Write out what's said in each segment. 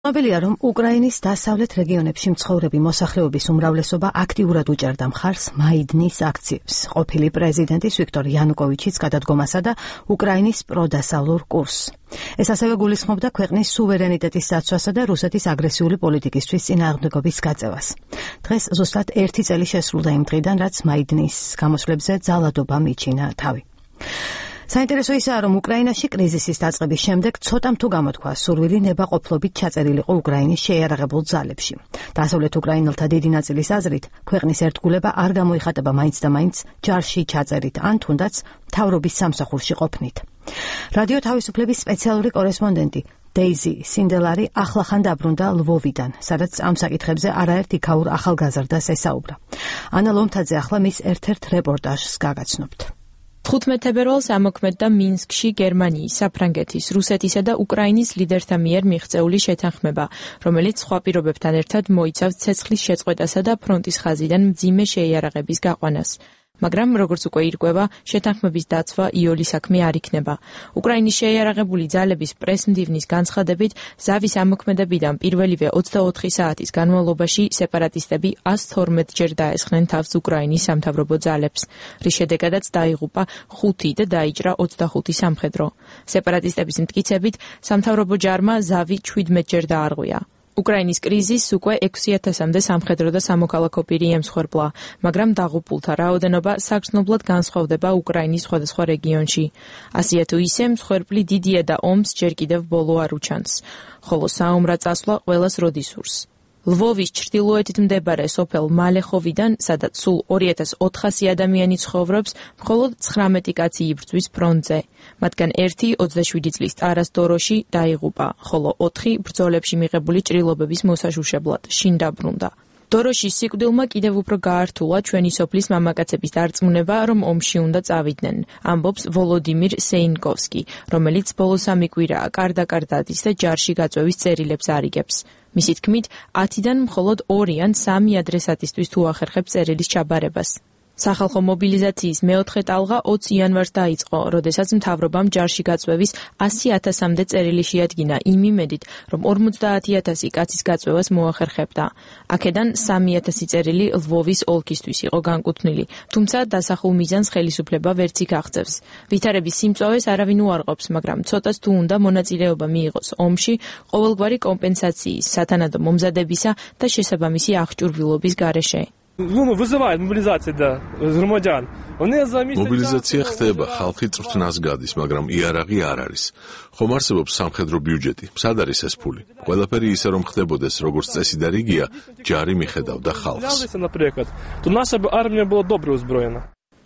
ცნობილია, რომ უკრაინის დასავლეთ რეგიონებში მცხოვრები მოსახლეობის უმრავლესობა აქტიურად უჭერდა მხარს მაიდნის აქციებს. ყოფილი პრეზიდენტის ვიქტორ იანუკოვიჩის გადადგომასა და უკრაინის პროდასავლურ კურსს. ეს ასევე გულისხმობდა ქვეყნის სუვერენიტეტის დაცვასა და რუსეთის აგრესიული პოლიტიკისთვის წინააღმდეგობის გაწევას. დღეს ზუსტად 1 წელი შესრულდა იმ დღიდან, რაც მაიდნის გამოსვლებზე ძალადობა მიჩინა თავი. საინტერესო ისაა, რომ უკრაინაში კრიზისის დაწყების შემდეგ ცოტამ თუ გამოთქვა სურვილი ნებაყოფლობით ჩაწერილიყო უკრაინის შეიარაღებულ ძალებში. დასავლეთ უკრაინელთა დიდი ნაწილის აზრით, ქვეყნის ერთგულება არ გამოიხატება მაინც და მაინც ჯარში ჩაწერით, ან თუნდაც მთავრობის სამსახურში ყოფნით. რადიო თავისუფლების სპეციალური კორესპონდენტი დეიზი სინდელარი ახლახან დაბრუნდა ლვოვიდან, სადაც ამ საკითხებზე არაერთ იქაურ ახალგაზრდას ესაუბრა. ანა ლომთაძე ახლა მის ერთ-ერთ რეპორტაჟს გაგაცნობთ. 15 თებერვალს ამოქმედდა მინსკში გერმანიის, საფრანგეთის, რუსეთისა და უკრაინის ლიდერთა მიერ მიღწეული შეთანხმება, რომელიც სხვა პირობებთან ერთად მოიცავს ცეცხლის შეწყვეტასა და ფრონტის ხაზიდან მძიმე შეიარაღების გაყვანას. მაგრამ, როგორც უკვე ირკვევა, შეთანხმების დაცვა იოლი საქმე არ იქნება. უკრაინის შეიარაღებული ძალების პრესმდივნის განცხადებით, ზავის ამოქმედებიდან პირველივე 24 საათის განმავლობაში სეპარატისტები 112 ჯერ დაესხნენ თავს უკრაინის სამთავრობო ძალებს, რის შედეგადაც დაიღუპა 5 და დაიჭრა 25 სამხედრო. სეპარატისტების მტკიცებით, სამთავრობო ჯარმა ზავი 17 ჯერ დაარღვია. უკრაინის კრიზისს უკვე 6000-მდე სამხედრო და სამოქალაქო პირი ემსხვერპლა, მაგრამ დაღუპულთა რაოდენობა საგრძნობლად განსხვავდება უკრაინის სხვადასხვა რეგიონში. ასეა თუ ისე, მსხვერპლი დიდია და ომს ჯერ კიდევ ბოლო არ უჩანს, ხოლო საომრად წასვლა ყველას როდის სურს. ლვოვის ჩრდილოეთით მდებარე სოფელ მალეხოვიდან, სადაც სულ 2400 ადამიანი ცხოვრობს, მხოლოდ 19 კაცი იბრძვის ფრონტზე. მათგან 1 27 წლის ტარას დოროში დაიღუპა, ხოლო 4 ბრძოლებში მიღებული ჭრილობების მოსაშუშებლად შინ დაბრუნდა. დოროშის სიკვდილმა კიდევ უფრო გაართულა ჩვენი სოფლის მამაკაცების დარწმუნება, რომ ომში უნდა წავიდნენ, ამბობს ვოლოდიმირ სეინკოვსკი, რომელიც ბოლოს 3 კვირაა კარდაკარდადის და ჯარში გაწვევის წერილებს არიგებს. მისი თქმით, 10-დან მხოლოდ 2 ან 3 ადრესატისთვის თუ ახერხებს წერილის ჩაბარებას. სახალხო მობილიზაციის მეოთხე ტალღა 20 იანვარს დაიწყო, როდესაც მთავრობამ ჯარში გაწვევის 100.000-მდე წერილი შეადგინა იმ იმედით, რომ 50.000 კაცის გაწვევას მოახერხებდა. აქედან 3.000 წერილი ლვოვის ოლქისთვის იყო განკუთვნილი, თუმცა დასახულ მიზანს ხელისუფლება ვერც იქ აღწევს. ვითარების სიმწვავეს არავინ უარყოფს, მაგრამ ცოტას თუ უნდა მონაწილეობა მიიღოს ომში, ყოველგვარი კომპენსაციის, სათანადო მომზადებისა და შესაბამისი აღჭურვილობის გარეშე. მობილიზაცია ხდება, ხალხი წვრთნას გადის, მაგრამ იარაღი არ არის. ხომ არსებობს სამხედრო ბიუჯეტი, სად არის ეს ფული? ყველაფერი ისე რომ ხდებოდეს, როგორც წესი და რიგია, ჯარი მიხედავდა ხალხს.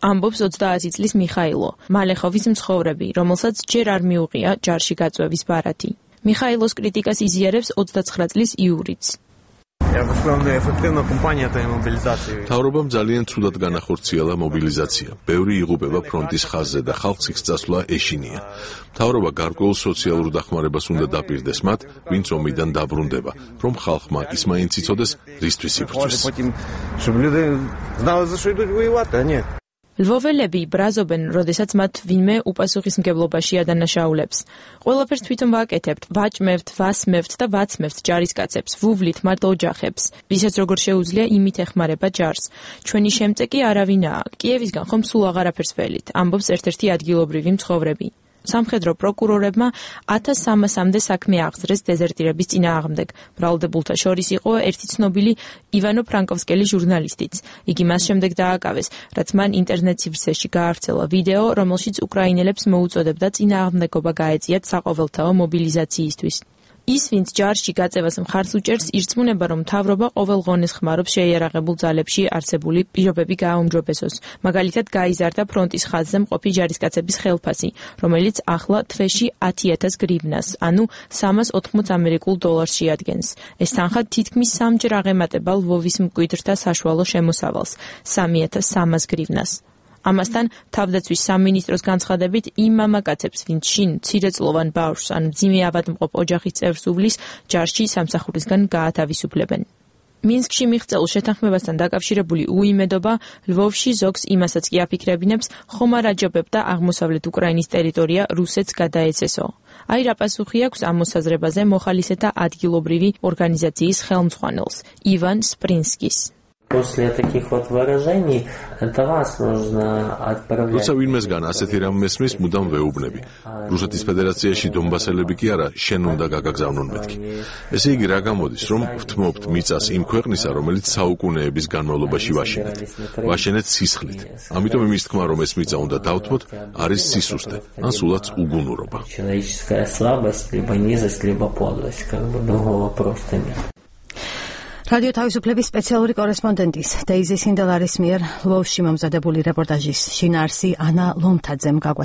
ამბობს 20 წლის მიხაილო, მალეხოვის მცხოვრები, რომელსაც ჯერ არ მიუღია ჯარში გაწვევის ბარათი. მიხაილოს კრიტიკას იზიარებს 29 წლის იურიც. მთავრობამ ძალიან ცუდად განახორციელა მობილიზაცია. ბევრი იღუპება ფრონტის ხაზზე და ხალხს იქ წასვლა ეშინია. მთავრობა გარკვეულ სოციალურ დახმარებას უნდა დაპირდეს მათ, ვინც ომიდან დაბრუნდება, რომ ხალხმა ის მაინც იცოდეს, რისთვის იბრძვის. ლვოველები ბრაზობენ, როდესაც მათ ვინმე უპასუხისმგებლობაში ადანაშაულებს. ყველაფერს თვითონ ვაკეთებთ, ვაჭმევთ, ვასმევთ და ვაცმევთ ჯარისკაცებს, ვუვლით მათ ოჯახებს. ვისაც როგორ შეუძლია, იმით ეხმარება ჯარს. ჩვენი შემწეკი არავინაა, კიევისგან ხომ სულ აღარაფერს ველით, ამბობს ერთ-ერთი ადგილობრივი მცხოვრები. სამხედრო პროკურორებმა 1300-მდე საქმე აღძრეს დეზერტირების წინააღმდეგ. ბრალდებულთა შორის იყო ერთი ცნობილი ივანო ფრანკოვსკელი ჟურნალისტიც. იგი მას შემდეგ დააკავეს, რაც მან ინტერნეტ სივრცეში გაავრცელა ვიდეო, რომელშიც უკრაინელებს მოუწოდებდა წინააღმდეგობა გაეწიათ საყოველთაო მობილიზაციისთვის. ის, ვინც ჯარში გაწევას მხარს უჭერს, ირწმუნება, რომ მთავრობა ყოველ ღონეს ხმარობს შეიარაღებულ ძალებში არსებული პირობები გააუმჯობესოს. მაგალითად, გაიზარდა ფრონტის ხაზზე მყოფი ჯარისკაცების ხელფასი, რომელიც ახლა თვეში 10,000 გრივნას, ანუ 380 ამერიკულ დოლარს შეადგენს. ეს თანხა თითქმის 3 ჯერ აღემატება ლვოვის მკვიდრთა საშუალო შემოსავალს, 3,300 გრივნას. ამასთან, თავდაცვის სამინისტროს განცხადებით, იმ მამაკაცებს, ვინც შინ მცირეწლოვან ბავშვს ან მძიმე ავადმყოფ ოჯახის წევრს უვლის, ჯარში სამსახურისგან გაათავისუფლებენ. მინსკში მიღწეულ შეთანხმებასთან დაკავშირებული უიმედობა ლვოვში ზოგს იმასაც კი აფიქრებინებს, ხომ არ აჯობებდა აღმოსავლეთ უკრაინის ტერიტორია რუსეთს გადაეცესო. აი რა პასუხი აქვს ამ მოსაზრებაზე მოხალისეთა ადგილობრივი ორგანიზაციის ხელმძღვანელს ივან სპრინსკის. После таких вот выражений это вас нужно отправлять. როცა ვინმესგან ასეთი რამ მესმის, მუდამ ვეუბნები. რუსეთის ფედერაციაში დონბასელები კი არა, შენ უნდა გაგაგზავნონ მეთქი. ესე იგი რა გამოდის, რომ ვთმობთ მიწას იმ ქვეყნისა, რომელიც საუკუნეების განმავლობაში ვაშენეთ. ვაშენეთ სისხლით. ამიტომ იმის თქმა, რომ ეს მიწა უნდა დავთმოთ, არის სისუსტე, ან სულაც უგუნურობა. Человеческая слабость, либо низость, либо подлость, как бы другого просто нет. რადიო თავისუფლების სპეციალური კორესპონდენტის დეიზი სინდელარის მიერ ლვოვში მომზადებული რეპორტაჟის შინაარსი ანა ლომთაძემ